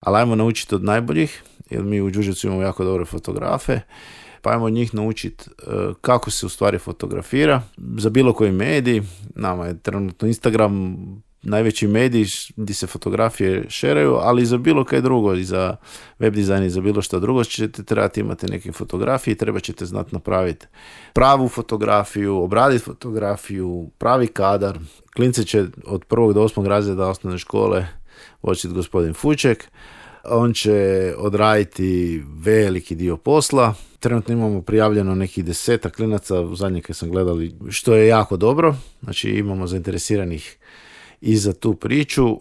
ali ajmo naučiti od najboljih, jer mi u jiu-jitsu imamo jako dobre fotografe, pa ajmo od njih naučiti kako se u stvari fotografira. Za bilo koji medij, nama je trenutno Instagram najveći medij gdje se fotografije šeraju, ali i za bilo kaj drugo, i za web dizajn i za bilo što drugo ćete trebati imati neke fotografije i treba ćete znati napraviti pravu fotografiju, obraditi fotografiju, pravi kadar. Klince će od 1. do 8. razreda osnovne škole učiti gospodin Fuček. On će odraditi veliki dio posla. Trenutno imamo prijavljeno nekih 10 klinaca, u zadnje kad sam gledali, što je jako dobro. Znači imamo zainteresiranih i za tu priču.